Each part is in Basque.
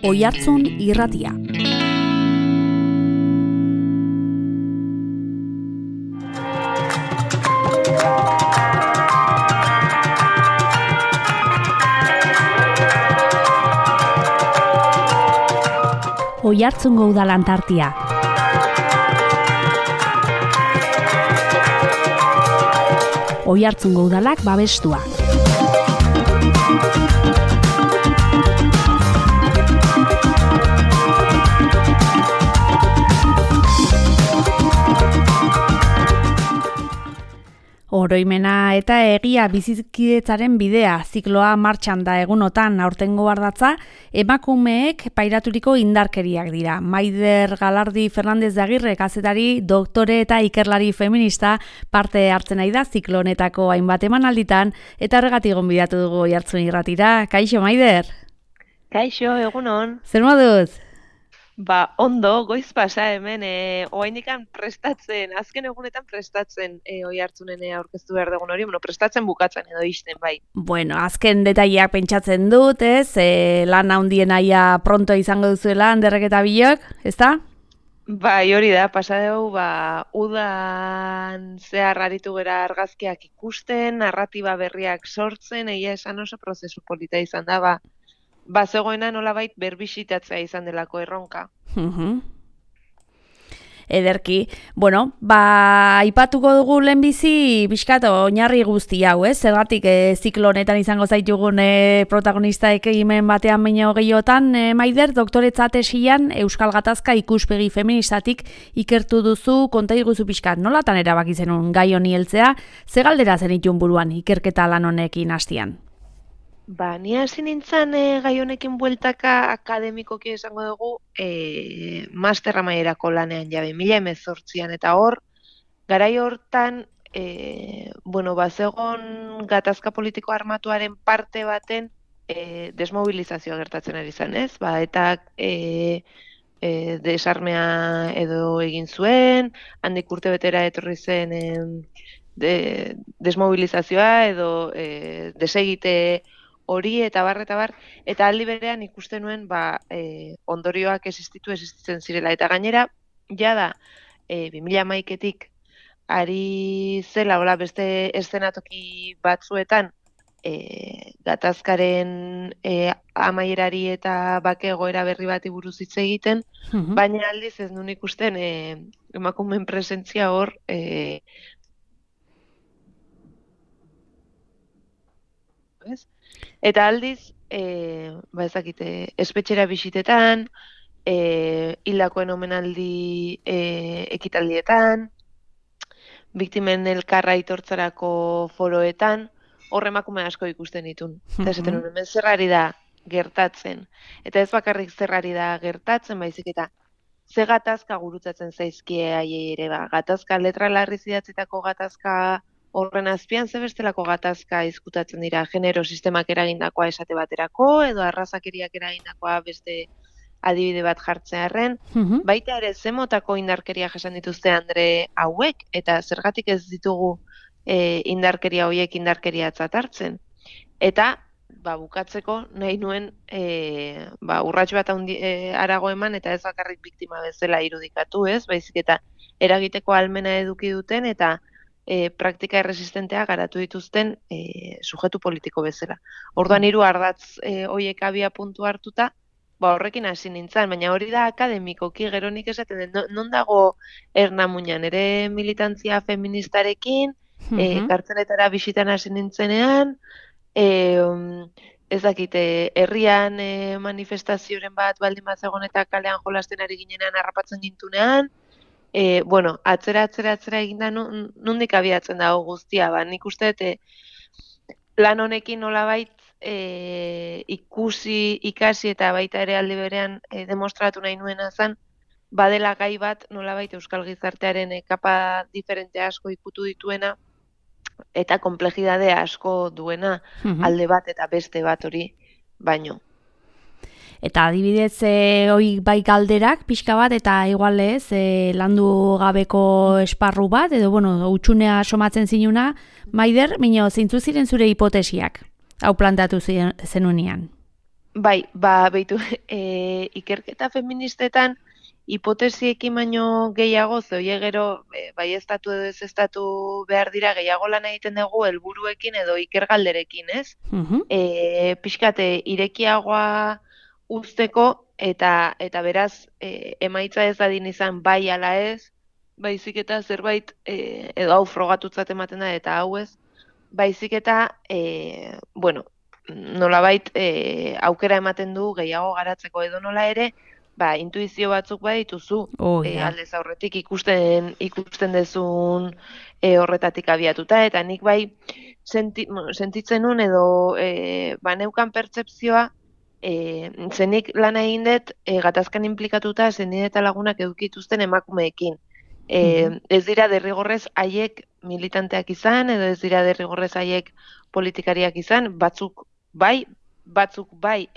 Oihartzun irratia. Oihartzungo Udal Antartia. Oihartzungo Udalak babestua. Oroimena eta egia bizikidetzaren bidea zikloa martxan da egunotan aurtengo ardatza emakumeek pairaturiko indarkeriak dira. Maider Galardi Fernandez de Agirre kazetari, doktore eta ikerlari feminista parte hartzen ari da ziklo honetako hainbat emanalditan eta horregatik gonbidatu dugu Oihartzun irratira. Kaixo Maider. Kaixo, egunon. Zer moduz? Ondo, goiz pasa hemen, oainikan prestatzen, azken egunetan prestatzen Oihartzunen aurkeztu behar dugun hori, prestatzen bukatzen edo ixten, bai. Bueno, azken detaileak pentsatzen dut, ez? Lan handien aia pronto izango duzuela, Anderrek eta Bilok, ezta? Bai, hori da, pasa dugu, udan zehar aritu gera argazkiak ikusten, narratiba berriak sortzen, egia esan oso prozesu polita izan da, zegoena nolabait berbisitatzea izan delako erronka. Ederki. Bueno, aipatuko dugu lehenbizi pixkat oinarri guzti hau, ez? Zergatik ziklo honetan izango zaitugun protagonistaek egimen batean baino gehiotan, Maider, doktoretza tesian Euskal Gatazka ikuspegi feministatik ikertu duzu, konta iguzu pixkat, nolatan erabaki zenun gai honi heltzea, ze galdera zenitun buruan ikerketa lan honekin hastian? Ni hasi nintzen gai honekin bueltaka akademikoki esango dugu master amaierako lanean jabe 2018an eta hor, garai hortan, bazegon gatazka politiko armatuaren parte baten desmobilizazioa gertatzen ari zen, ez? Eta desarmea edo egin zuen, handik urte betera etorri zen desmobilizazioa edo desegite hori eta bar, eta aldi berean ikusten nuen ondorioak existitzen zirela. Eta gainera, jada, 2011etik ari zela, beste eszenatoki batzuetan, gatazkaren amaierari eta bake egoera berri bati buruz hitz egiten, baina aldiz ez nuen ikusten emakumeen presentzia hor, eta aldiz, espetxera bisitetan, hildakoen omenaldi ekitaldietan, biktimen elkarra aitortzarako foroetan, hor emakume asko ikusten ditun. Eta esaten hemen zerrari da gertatzen. Eta ez bakarrik zerrari da gertatzen, baizik eta ze gatazka gurutzatzen zaizkie haiei ere, gatazka letra larriz idatzitako gatazka horren azpian ze bestelako gatazka izkutatzen dira, genero sistemak eragindakoa esate baterako, edo arrazakeriak eragindakoa beste adibide bat jartzearren, baita ere ze motako indarkeria jasan dituzte Andre hauek, eta zergatik ez ditugu indarkeria horiek indarkeriatzat hartzen. Eta, bukatzeko nahi nuen urrats bat harago eman, eta ez bakarrik biktima bezala irudikatu, ez? Baizik eta eragiteko ahalmena eduki duten, eta praktika erresistentea garatu dituzten sujetu politiko bezala. Orduan 3 ardatz horiek abia puntu hartuta, horrekin hasi nintzen, baina hori da akademikoki gero nik esaten den, non dago Ernamuinan ere militantzia feministarekin, kartzeletara bisitan hasi nintzenean, ez dakite, herrian manifestazioren bat baldin bat zegoen eta kalean jolasten ari ginenan harrapatzen gintunean, atzera eginda nondik abiatzen dago guztia, nik uste lan honekin nolabait ikasi eta baita ere aldi berean demostratu nahi nuena zen, badela gai bat nolabait euskal gizartearen kapa diferente asko ikutu dituena eta konplexidade asko duena alde bat eta beste bat hori baino. Eta adibidez, hoi bai galderak pixka bat, eta igualez, landu gabeko esparru bat, edo, utxunea somatzen zinuna, Maider, zeintzu ziren zure hipotesiak, hau plantatu zenunean? Bai, beitu, ikerketa feministetan hipotesiekin baino gehiago, zoie gero, bai estatu edo ez estatu behar dira, gehiago lan egiten dugu helburuekin edo ikergalderekin, ez? Pixkate, irekiagoa uzteko, eta beraz, emaitza ez dadin izan bai ala ez, baizik eta zerbait, edo hau frogatutzat ematen da, eta hau ez, baizik eta, bueno, nolabait aukera ematen du gehiago garatzeko edo nola ere, intuizio batzuk badituzu, aldez aurretik ikusten dezun horretatik abiatuta, eta nik bai sentitzen nun edo baneukan pertsepzioa, zenik lan egin dut gatazkan implikatuta zenide eta lagunak edukituzten emakumeekin. Ez dira derrigorrez haiek militanteak izan, edo ez dira derrigorrez haiek politikariak izan, batzuk bai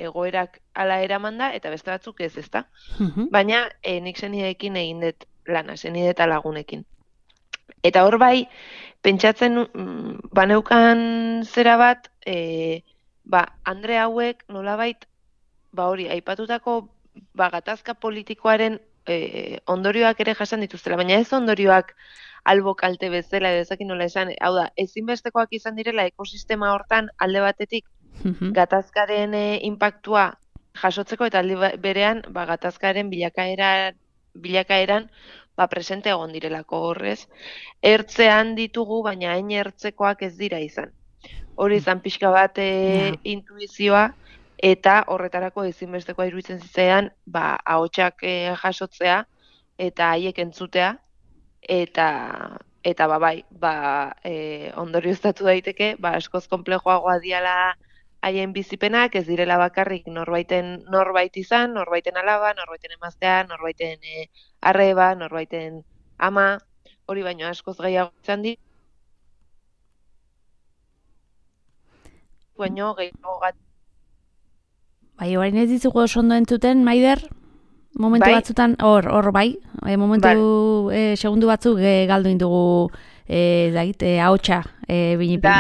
egoerak ala eraman da, eta beste batzuk ez, ezta? Baina nik zenideekin egin dut lana, zenide eta lagunekin. Eta hor bai, pentsatzen baneukan zera bat, Andre hauek nolabait, hori, aipatutako gatazka politikoaren ondorioak ere jasan dituztela, baina ez ondorioak albo kalte bezala edo ezakin nola esan, hau da, ezinbestekoak izan direla ekosistema hortan alde batetik gatazkaren inpaktua jasotzeko eta alde berean gatazkaren bilakaeran presente egon direlako horrez. Ertzean ditugu, baina hain ertzekoak ez dira izan. Hori izan pixka bat intuizioa, eta horretarako ezinbestekoa iruditzen zitzaidan, ahotsak jasotzea eta haiek entzutea, eta ondorioztatu daiteke, askoz konplejoagoa diala haien bizipenak, ez direla bakarrik norbait izan, norbaiten alaba, norbaiten emaztea, norbaiten arreba, norbaiten ama, hori baino askoz gehiago izan di. Baino gehiago Bai, orain ez dizugu oso ondo entzuten, Maider? Momentu batzutan, hor bai, momentu segundu batzuk galdu indugu ahotsa binipen.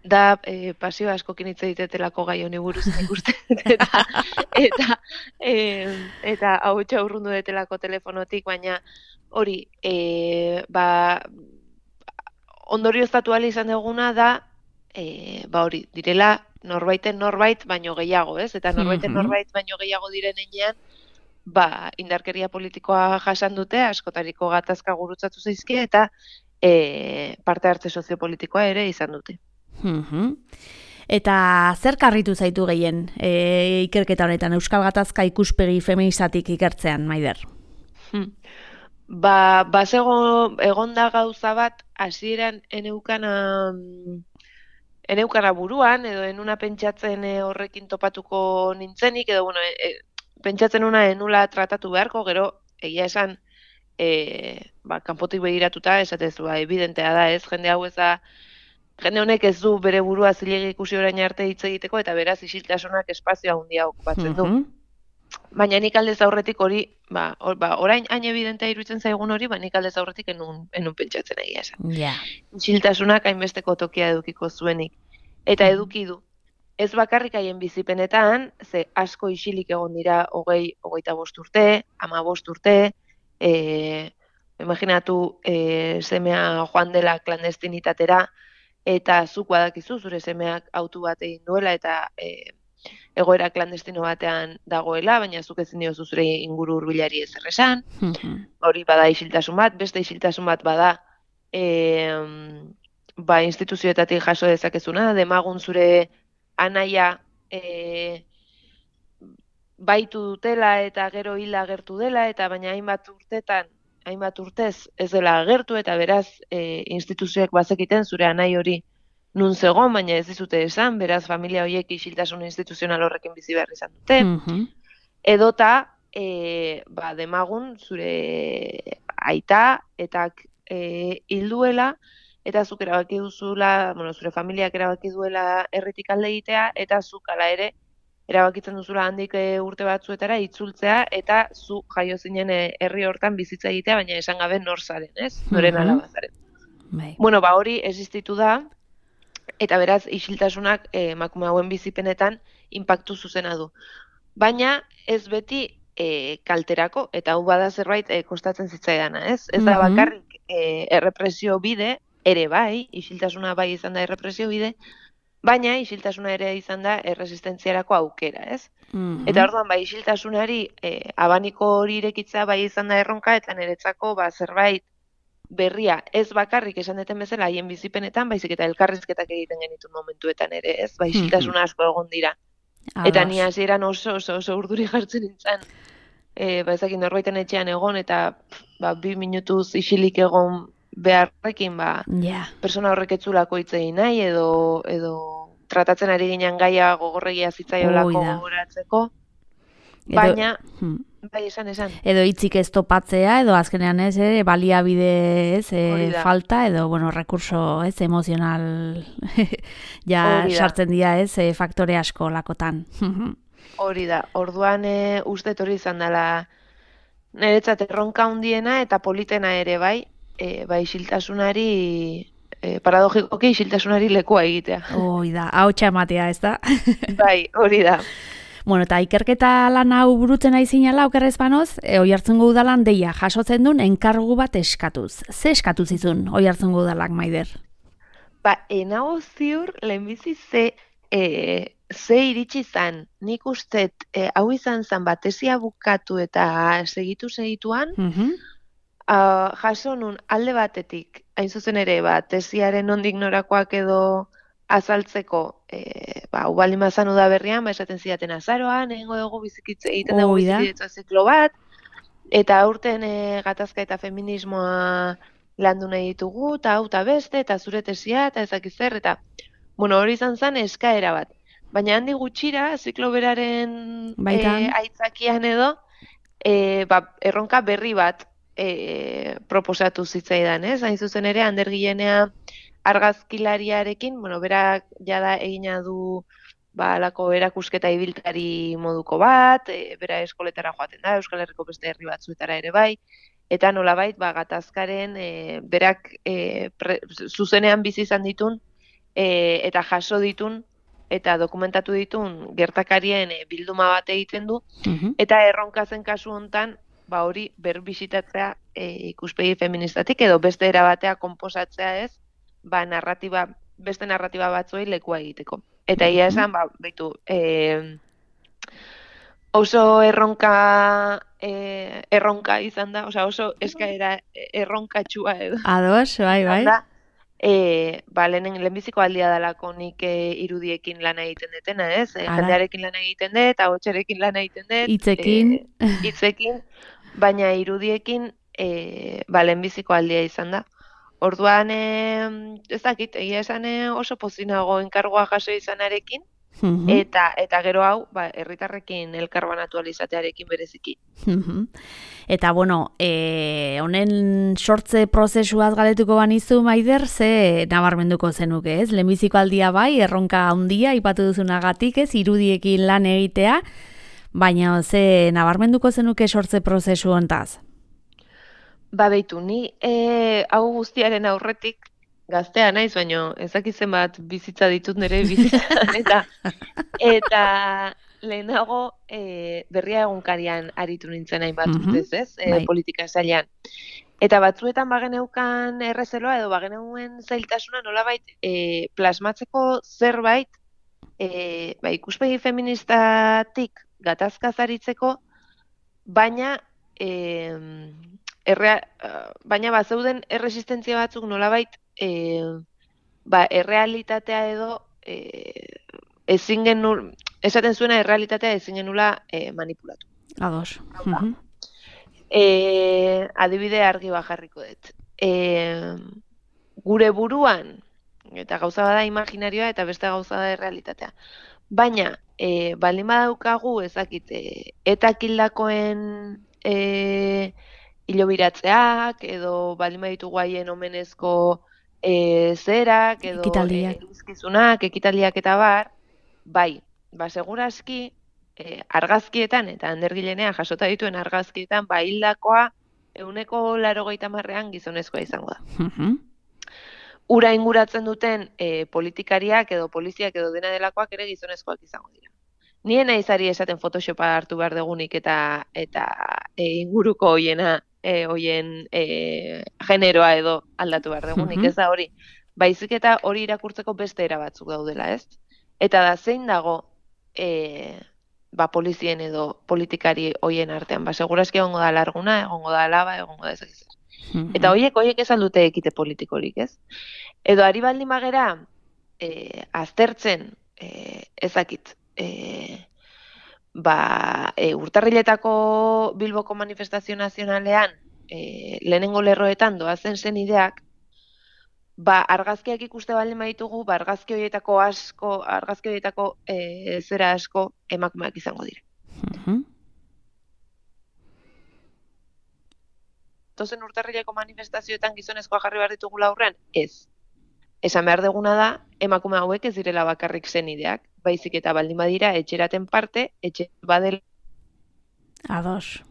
Da pasio askokin hitz egitetelako gai honi buruz ikusten eta ahotsa urrundu detelako telefonotik, baina hori ondorioztatu ahal izan duguna da hori direla norbait baino gehiago, ez? Eta norbaiten norbait baino gehiago diren heinean indarkeria politikoa jasan dute, askotariko gatazka gurutzatu zaizkie eta parte hartze soziopolitikoa ere izan dute. Eta zer karritu zaitu gehien ikerketa honetan, Euskal Gatazka ikuspegi feministatik ikertzean, Maider? Egonda gauza bat, hasieran eneukana buruan, edo enuna pentsatzen horrekin topatuko nintzenik, edo pentsatzen una enula tratatu beharko, gero egia esan kanpotik begiratuta, esatezu, evidentea da, ez, jende honek ez du bere burua zilegi ikusi orain arte hitz egiteko, eta beraz isiltasunak espazioa handia okupatzen du. Baina nik aldez aurretik hori, orain hain evidentea iruditzen zaigun hori, nik aldez aurretik enun pentsatzen egia esan. Isiltasunak hainbesteko tokia edukiko zuenik. Eta eduki du. Ez bakarrik haien bizipenetan, ze asko isilik egon dira 25 urte, 15 urte, imaginatu semea joan dela klandestinitatera, eta zuk badakizu zure semeak autu bat egin duela eta egoera klandestino batean dagoela, baina zuk ezin diozu zure inguru hurbilari ezer esan. Hori bada isiltasun bat, beste isiltasun bat bada instituzioetatik jaso dezakezuna, demagun zure anaia baitu dutela eta gero hila agertu dela, eta baina hainbat urtez ez dela agertu, eta beraz instituzioek bazekiten zure anai hori nun zegoen, baina ez dizute esan, beraz familia horiek isiltasun instituzional horrekin bizi behar izan dute. Edota, demagun zure aita etak hilduela, eta zuk erabaki duzula, zure familiak erabaki duela herritik alde egitea, eta zuk ala ere erabakitzen duzula handik urte batzuetara itzultzea, eta zu jaio zinen herri hortan bizitza egitea, baina esan gabe nor zaren, ez? Noren alabazaren. Hori existitu da, eta beraz isiltasunak emakume hauen bizipenetan inpaktu zuzena du. Baina ez beti kalterako, eta hau bada zerbait kostatzen zitzaidana, ez? Ez da bakarrik errepresio bide, ere bai, isiltasuna bai izan da errepresio bide, baina isiltasuna ere izan da erresistentziarako aukera, ez? Eta orduan, bai, isiltasunari abaniko hori irekitzea bai izan da erronka, eta niretzako zerbait berria, ez bakarrik esan deten bezala haien bizipenetan, baizik eta elkarrizketak egiten genitun momentuetan ere, ez? Bai, isiltasuna asko egon dira. Eta ni hasieran oso urduri jartzen nintzen, ezakin norbaiten etxean egon, eta 2 minutuz isilik egon beharrekin, persona horrek etzulako hitz egin nahi, edo tratatzen ari ginen gaia gogorregia zitzaiolako gogoratzeko, baina, bai, esan. Edo hitzik ez topatzea, edo azkenean ez, baliabide ez, falta, edo, rekurso ez, emozional sartzen dira ez, faktore asko lakotan. Hori da, orduan uste hori izan dela niretzat erronka handiena eta politena ere bai, isiltasunari, paradogikoki isiltasunari lekua egitea. Hori da, ahotsa ematea, ez da? Bai, hori da. Bueno, eta ikerketa lan hau burutzen nahi zinala, okerrez banoz, Oiartzungo udalan deia jasotzen duen enkargu bat eskatuz. Ze eskatu zizun Oiartzungo udalak, Maider? Enago ziur, lehenbizi ze iritsi zan. Nik ustet, hau izan zan tesia bukatu eta segituan, jaso nun alde batetik, hain zuzen ere, tesiaren nondik norakoak edo azaltzeko, baldin bazan udaberrian, esaten zidaten azaroan, egingo dugu egiten dugu bizikidetza ziklo bat, eta aurten gatazka eta feminismoa landu nahi ditugu, eta hau eta beste, eta zure tesia, eta ezakizer, eta hori izan zen eskaera bat. Baina handi gutxira, ziklo beraren aitzakian edo, erronka berri bat proposatu zitzaidan, ez? Hain zuzen ere, Ander Gilenea argazkilariarekin, berak jada egina du alako erakusketa ibiltari moduko bat, bera eskoletara joaten da, Euskal Herriko beste herri batzuetara ere bai, eta nolabait gatazkaren berak zuzenean bizi izan ditun eta jaso ditun eta dokumentatu ditun gertakarien bilduma bat egiten du, eta erronka zen kasu hontan hori berbisitatzea ikuspegi feministatik edo beste erabatea konposatzea ez, beste narratiba batzuei lekua egiteko. Eta ia esan, oso erronka izan da, oso eskaera erronkatxua edo. Ados, bai. Lehenbiziko aldia dalako nik irudiekin lan egiten detena, ez? Jendearekin lan egiten dut, ahotsarekin lan egiten dut. Hitzekin, baina irudiekin lehenbiziko aldia izan da. Orduan, ez dakit, egia esan oso pozinago enkargoa jaso izanarekin, eta gero hau, herritarrekin elkarbanatu alizatearekin bereziki. Eta, honen sortze prozesuaz galetuko banizu, Maider, ze nabarmenduko zenuke, ez? Lehenbiziko aldia bai, erronka handia, ipatu duzunagatik, ez, irudiekin lan egitea, baina ze nabarmenduko zenuke sortze prozesu hontaz? Beitu, ni hau guztiaren aurretik gaztea naiz, baina ezakizen bat bizitza ditut nire bizitzan, eta lehenago berria egunkarian aritu nintzen hainbat urtez, ez, politika sailean. Eta batzuetan bageneukan errezeloa edo bageneuen zailtasuna nolabait plasmatzeko zerbait ikuspegi feministatik gatazkaz aritzeko, baina bazeuden erresistentzia batzuk nolabait errealitatea edo esaten zuena errealitatea ezin genula manipulatu. Ados. Adibide argi jarriko dut. Gure buruan, eta gauza bada imaginarioa eta beste gauza da errealitatea. Baina, baldin badaukagu ezakit, eta kildakoen hilobiratzeak, edo baldin baditugu haien omenezko zerak, edo elizkizunak, ekitaldiak eta bar, segurazki argazkietan, eta Ander Gilenea jasota dituen argazkietan, hildakoa 80%an gizonezkoa izango da. Ura inguratzen duten politikariak edo poliziak edo dena delakoak ere gizonezkoak izango dira. nien naizari esaten Photoshopa hartu behar degunik eta inguruko hoien generoa edo aldatu behar degunik, ez da hori. Baizik eta hori irakurtzeko beste era batzuk daudela, ez? Eta da zein dago polizien edo politikari hoien artean, segurazki egongo da larguna, egongo da laba, egongo da ezakiz. Eta horiek esan dute ekite politikorik, ez? Edo ari baldin bagera aztertzen ezakit urtarriletako Bilboko manifestazio nazionalean lehenengo lerroetan doazen zen ideak, argazkiak ikuste baldin baditugu, argazki horietako zera asko emakumeak izango dira. Tozen urtarrileko manifestazioetan gizonezkoa jarri behar ditugula aurrean? Ez. Esan behar deguna da, emakume hauek ez direla bakarrik zen ideak, baizik eta baldin badira etxeraten parte, etxe badela. Ados.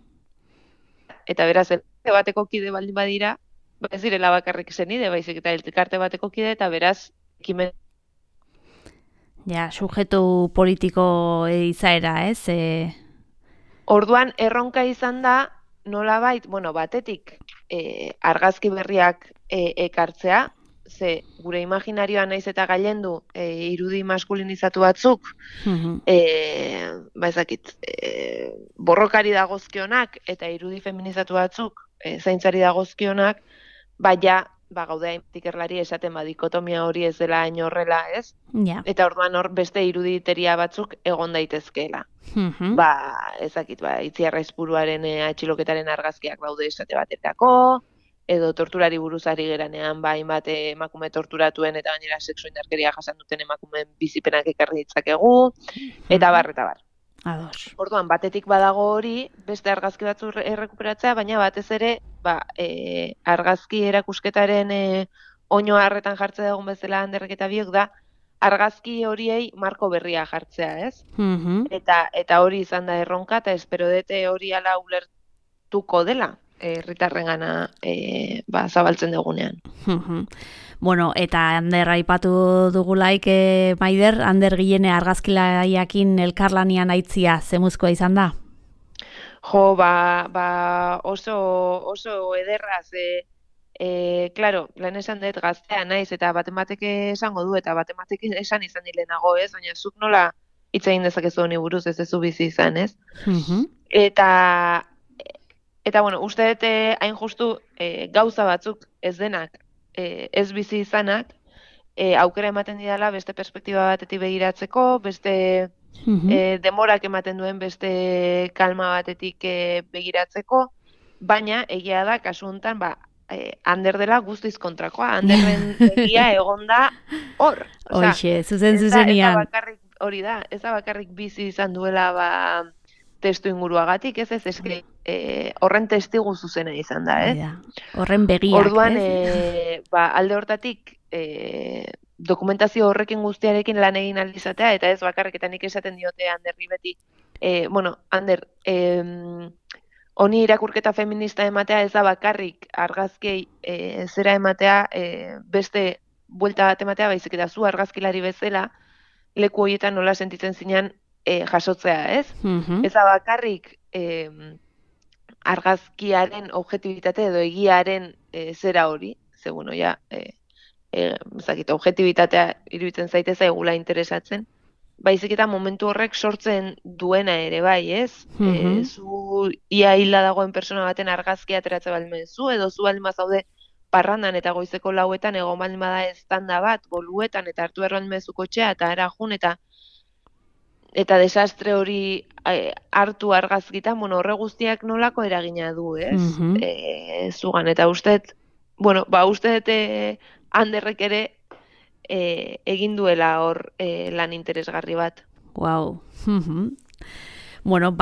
Eta beraz, elkarte bateko kide baldin badira, ez direla bakarrik zen ide, baizik eta elkarte bateko kide, eta beraz, ekimen. Ja, sujetu politiko izaera, ez? Orduan, erronka izan da, nolabait, batetik argazki berriak ekartzea, ze gure imaginarioa naiz eta gailendu irudi maskulinizatu batzuk, ezakit, borrokari dagozkionak eta irudi feminizatu batzuk zaintzari dagozkionak, gaude ikerlari esaten dikotomia hori ez dela hain horrela, ez? Ja. Eta orduan hor beste iruditeria batzuk egon daitezkeela. Ezakit, Itziarra Aizpuruaren atxiloketaren argazkiak daude esate baterako, edo torturari buruzari geranean hainbat emakume torturatuen eta gainera sexu indarkeria jasan duten emakumeen bizipenak ekarri ditzakegu, eta bar. Ados. Orduan, batetik badago hori, beste argazki batzu errekuperatzea, baina batez ere, argazki erakusketaren oino harretan jartzea dugun bezala Anderrek eta biok da, argazki horiei marko berria jartzea, ez? Eta hori izan da erronka, eta espero dute hori ala ulertuko dela herritarrengana zabaltzen dugunean. Bueno, eta Ander aipatu dugulaik, Maider, Ander Gillene argazkilaiakin elkarlanian aitzia zemuzkoa izan da? Jo, oso ederraz, claro, lehen esan dut gaztea naiz, eta batek esango du, eta batek esan izan dilenago, ez? Baina zuk nola hitz egin dezakezu honi buruz, ez zu bizi izan, ez? Eta bueno, uste dut hain justu gauza batzuk ez denak, ez bizi izanak, aukera ematen didala beste perspektiba batetik begiratzeko, beste demorak ematen duen beste kalma batetik begiratzeko, baina egia da, kasu honetan, Ander dela guztiz kontrakoa, Anderren egia egonda hor. Hoxe, zuzenean. Hori da, ez da bakarrik bizi izan duela testu inguruagatik, ez eske horren testigu zuzena izan da, Horren begiak, orduan, alde hortatik dokumentazio horrekin guztiarekin lan egin aldizatea, eta ez bakarrik eta nik esaten diote Anderri beti, Ander, honi irakurketa feminista ematea ez da bakarrik argazkei zera ematea, beste buelta bat ematea, baizik eta zu argazkilari bezala, leku horietan nola sentitzen zinean jasotzea, ez? Ez da bakarrik argazkiaren objektibitate edo egiaren zera hori, ze bueno, objektibitatea iruditzen zaitez zaigula interesatzen, baizik eta momentu horrek sortzen duena ere bai, ez? Zu ia hila dagoen persona baten argazkia ateratzen baldin zu, edo zu baldin zaude parrandan eta goizeko 4etan egon baldin bada eztanda bat, boluetan eta hartu baldin baduzu kotxea eta ara jun eta desastre hori hartu argazkitan, horre guztiak nolako eragina du, ez? Zugan, eta usteet, usteet Anderrek ere egin duela hor lan interesgarri bat. Wow. Bueno,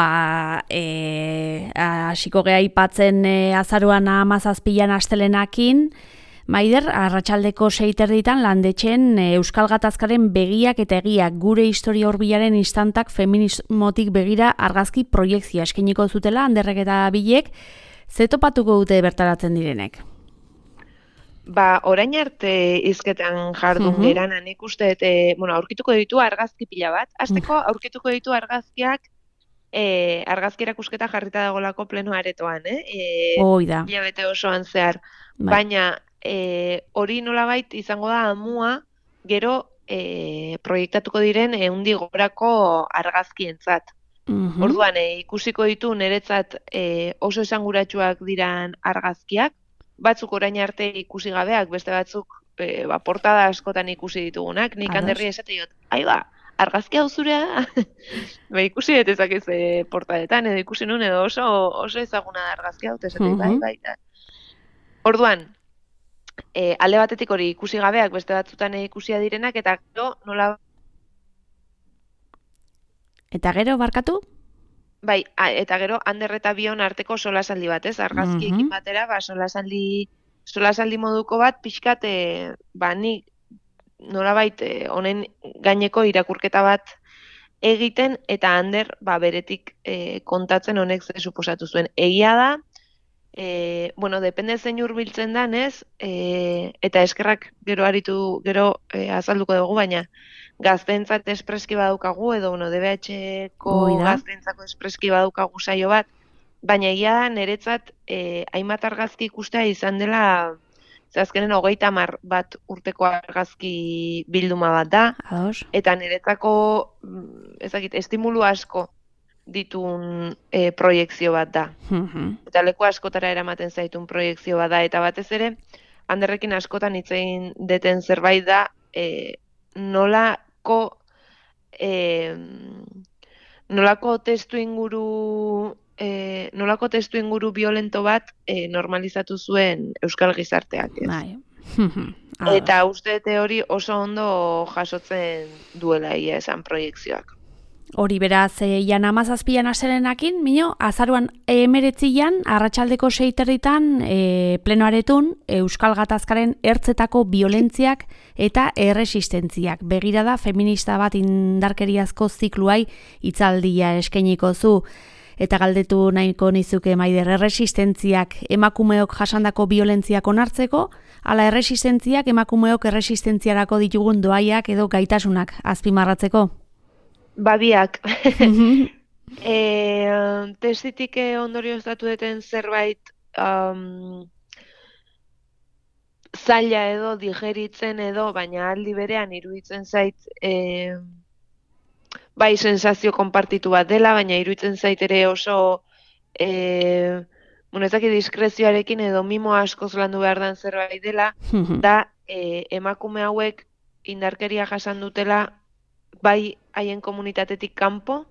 hasiko gea aipatzen azaruan 17 astelenakin, Maider, arratsaldeko 6:30 landetxen Euskal Gatazkaren begiak eta egiak gure historia hurbilaren instantak feminismotik begira argazki proiektzioa eskainiko zutela Anderrek eta Bilek, ze topatuko dute bertaratzen direnek? Orain arte hizketan jardun geran, nik uste, aurkituko ditu argazki pila bat. Hasteko aurkituko ditu argazkiak, argazki erakusketa jarrita dagolako pleno aretoan, Oida. hilabete osoan zehar. Bai. Baina hori nolabait izango da amua, gero proiektatuko diren 100 gorako argazkientzat. Orduan, ikusiko ditu niretzat oso esanguratsuak diran argazkiak, batzuk orain arte ikusi gabeak, beste batzuk portada askotan ikusi ditugunak, nik handerri esate diot, argazki hau zurea, ikusi dut ezakiz portadetan, edo ikusi nun, edo oso ezaguna da argazki hau, esate bai. Orduan, alde batetik hori ikusi gabeak, beste batzutan ikusia direnak, eta gero nola... Eta gero, barkatu? Bai, eta gero, Ander eta Bion arteko solasaldi bat, ez? Argazkiekin batera, solasaldi moduko bat, pixkat, nik nolabait honen gaineko irakurketa bat egiten, eta Ander, beretik kontatzen honek ze suposatu zuen. Egia da, depende zein hurbiltzen dan, ez? Eta eskerrak gero azalduko dugu, baina gazteentzat espreski badaukagu, edo DBH-ko gazteentzako espreski badaukagu saio bat, baina egia da niretzat hainbat argazki ikustea izan dela, azkenen 30 bat urteko argazki bilduma bat da, eta niretzako estimulu asko ditun proiekzio bat da. Eta leku askotara eramaten zaitun proiekzio bat da, eta batez ere, Anderrekin askotan hitz egin deten zerbait da, nolako testu inguru violento bat normalizatu zuen euskal gizarteak, ez? Bai. Eta uste hori oso ondo jasotzen duela ia esan proiekzioak. Hori beraz, jan 17an aserenakin, mino, azaruan 19an, arratsaldeko 6:30 plenoaretun, Euskal Gatazkaren ertzetako violentziak eta erresistentziak. Begirada feminista bat indarkeriazko zikluai hitzaldia eskainiko zu. Eta galdetu nahiko nizuke Maider, erresistentziak emakumeok jasandako violentziak onartzeko, ala erresistentziak emakumeok erresistentziarako ditugun doaiak edo gaitasunak azpimarratzeko? Babiak. Testitik ondorioztatu duten zerbait zaila edo digeritzen edo, baina aldi berean iruditzen zait bai sensazio konpartitu bat dela, baina iruditzen zait ere oso ezaki diskrezioarekin edo mimo askoz landu behar den zerbait dela, da emakume hauek indarkeria jasan dutela bai haien komunitatetik kanpo,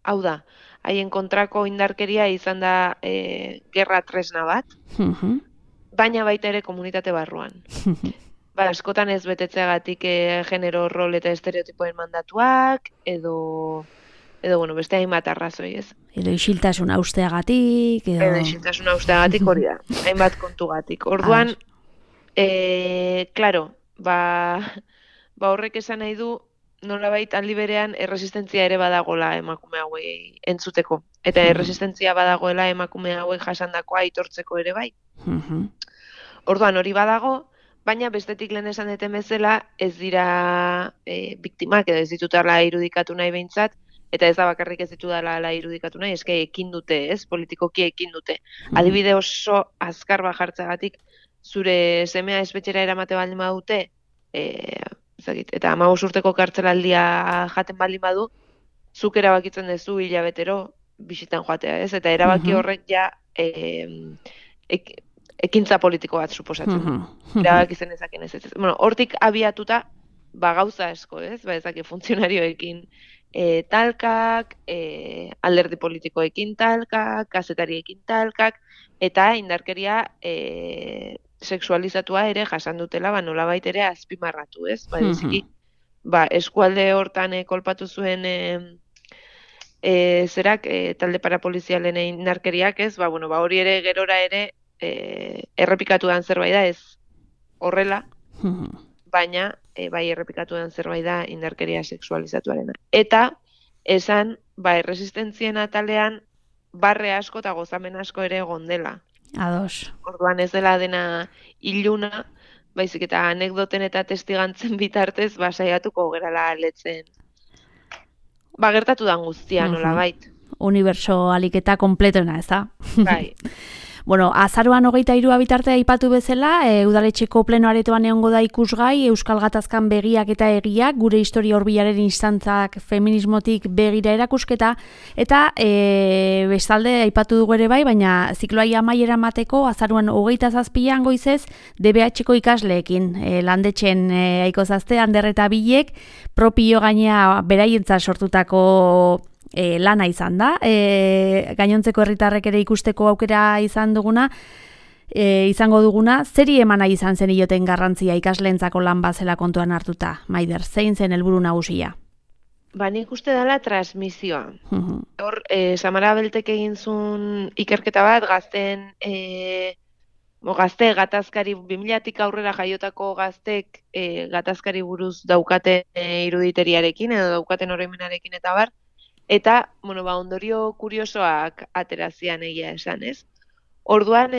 hau da, haien kontrako indarkeria izan da gerra tresna bat, baina baita ere komunitate barruan. Askotan ez betetzeagatik genero rol eta estereotipoen mandatuak, edo beste hainbat arrazoi, ez? Edo isiltasuna usteagatik, edo isiltasuna usteagatik hori da, hainbat kontugatik. Orduan, klaro, horrek esan nahi du, nolabait aldi berean erresistentzia ere badagola emakume hauei entzuteko. Eta erresistentzia badagoela emakume hauek jasandakoa aitortzeko ere bai. Orduan hori badago, baina bestetik lehen esan deten bezala ez dira biktimak edo ez ditutela irudikatu nahi behintzat, eta ez da bakarrik ez ditutela irudikatu nahi, eske ekin dute, ez? Politikoki ekin dute. Adibide oso azkar bajartzagatik zure semea espetxera eramate baldin badute, eta 15 urteko kartzelaldia jaten baldin badu, zuk erabakitzen duzu hilabetero bisitan joatea, ez? Eta erabaki horrek ja ekintza politiko bat suposatzen. Erabaki zen ezaken ez. Hortik abiatuta, gauza asko, ez? Ezaki funtzionarioekin talkak, alderdi politikoekin talkak, kazetariekin talkak, eta indarkeria sexualizatua ere jasan dutela, nolabait ere azpimarratu, ez? Eskualde hortan kolpatu zuen zerak talde parapolizialen indarkeriak, ez? Hori ere gerora ere errepikatu den zerbait da, ez horrela, baina bai errepikatu den zerbait da indarkeria sexualizatuarena. Eta esan, erresistentzien atalean barre asko eta gozamen asko ere egon dela. Ados. Orduan ez dela dena iluna, baizik eta anekdoten eta testigantzen bitartez, saiatuko gerala aletzen. Gertatu dan guztia, nolabait. Uniberso aliketa kompletona, ez da? Bai. Bueno, azaroan 23 bitarte aipatu bezala, udaletxeko pleno aretoan egongo da ikusgai, Euskal Gatazkan begiak eta egiak, gure historia hurbilaren instantzak feminismotik begira erakusketa, eta bestalde aipatu dugu ere bai, baina zikloai amaiera mateko, azaroan 27an goizez, DBH-ko ikasleekin, landetxen aiko zazte, Ander eta Bilek, propio gainea beraientza sortutako lana izan da, gainontzeko herritarrek ere ikusteko aukera izango duguna, zeri emana izan zen ioten garrantzia ikasleentzako lan bazela kontuan hartuta, Maider, zein zen helburu nagusia? Nik uste dela transmisioa. Hor, Samara Beltek egin zuen ikerketa bat, gazte gatazkari, 2000-tik aurrera jaiotako gaztek gatazkari buruz daukaten iruditeriarekin, edo daukaten oroimenarekin eta bar, eta, ondorio kuriosoak aterazian egia esan, ez? Orduan,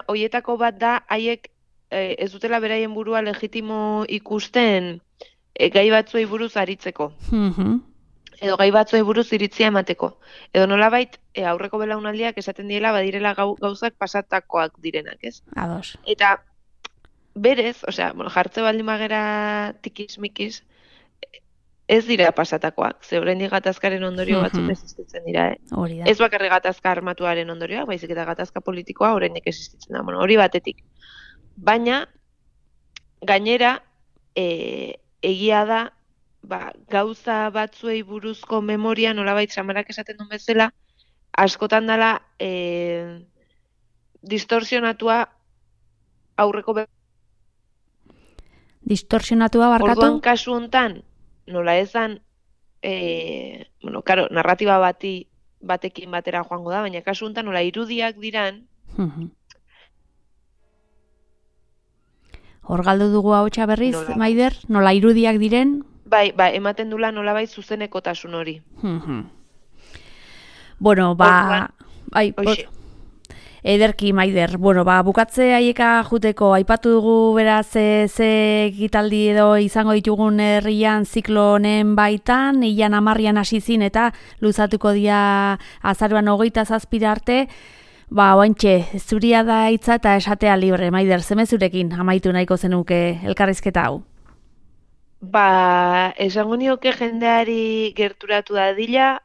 hoietako bat da, haiek ez dutela beraien burua legitimo ikusten gai batzuei buruz aritzeko. Edo gai batzuei buruz iritzia emateko. Edo nolabait, aurreko belaunaldiak esaten diela badirela gauzak pasatakoak direnak, ez? Ados. Eta berez, jartze baldin bagera tikiz-mikiz, ez dira pasatakoak, ze oraindik gatazkaren ondorio batzuk existitzen dira, Hori da. Ez bakarrik gatazka armatuaren ondorioa, baizik eta gatazka politikoa oraindik existitzen da. Hori batetik. Baina, gainera, egia da, gauza batzuei buruzko memoria, nolabait Samarak esaten duen bezala, askotan dela distorsionatua aurreko distorsionatua barkatu? Orduan kasu hontan, nola ezan, narratiba batekin batera joango da, baina kasu honetan nola irudiak diran. Hor galdu dugu ahotsa berriz, Maider, nola irudiak diren? Bai, ematen dula nolabait zuzenekotasun hori. Bueno, ederki, Maider. Bueno, bukatze haieka juteko, aipatu dugu beraz ze ekitaldi edo izango ditugun herrian ziklo honen baitan, ilan 10an hasi zin eta luzatuko dira azaroan 27 arte. Oantxe, zuria da hitza eta esatea libre, Maider, zemezurekin amaitu nahiko zenuke elkarrizketa hau? Esango nioke jendeari gerturatu dadila,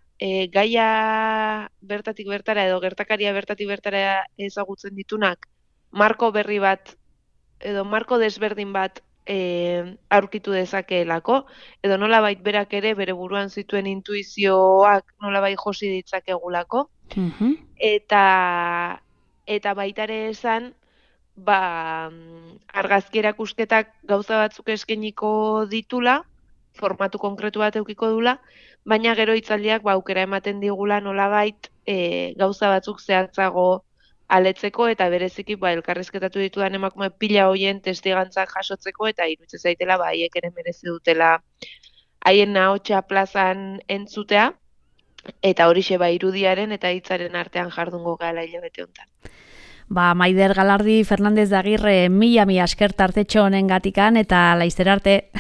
gaia bertatik bertara edo gertakaria bertatik bertara ezagutzen ditunak marko berri bat edo marko desberdin bat aurkitu dezakeelako, edo nolabait berak ere bere buruan zituen intuizioak nolabait josi ditzakegulako, eta baitare esan, argazki erakusketak gauza batzuk eskainiko ditula, formatu konkretu bat edukiko dula, baina gero hitzaldiak aukera ematen digula nolabait gauza batzuk zehatzago aletzeko eta bereziki elkarrizketatu ditudan emakume pila hoien testigantzak jasotzeko eta iruditzen zaitela haiek ere merezi dutela haien ahotsa plazan entzutea eta horixe irudiaren eta hitzaren artean jardungo gala hilabete honetan. Maider Galardi Fernandez de Agirre, mila esker tartetxo honen gatikan eta laizter arte.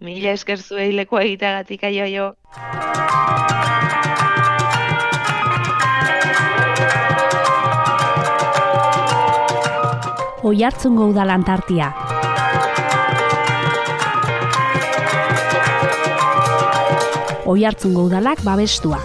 Mila esker zuei leku egiteagatik aio. Oiartzungo Udal Antartia. Oiartzungo Udalak babestua.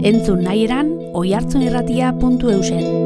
Entzun nahi eran, oiartzunirratia.eusen.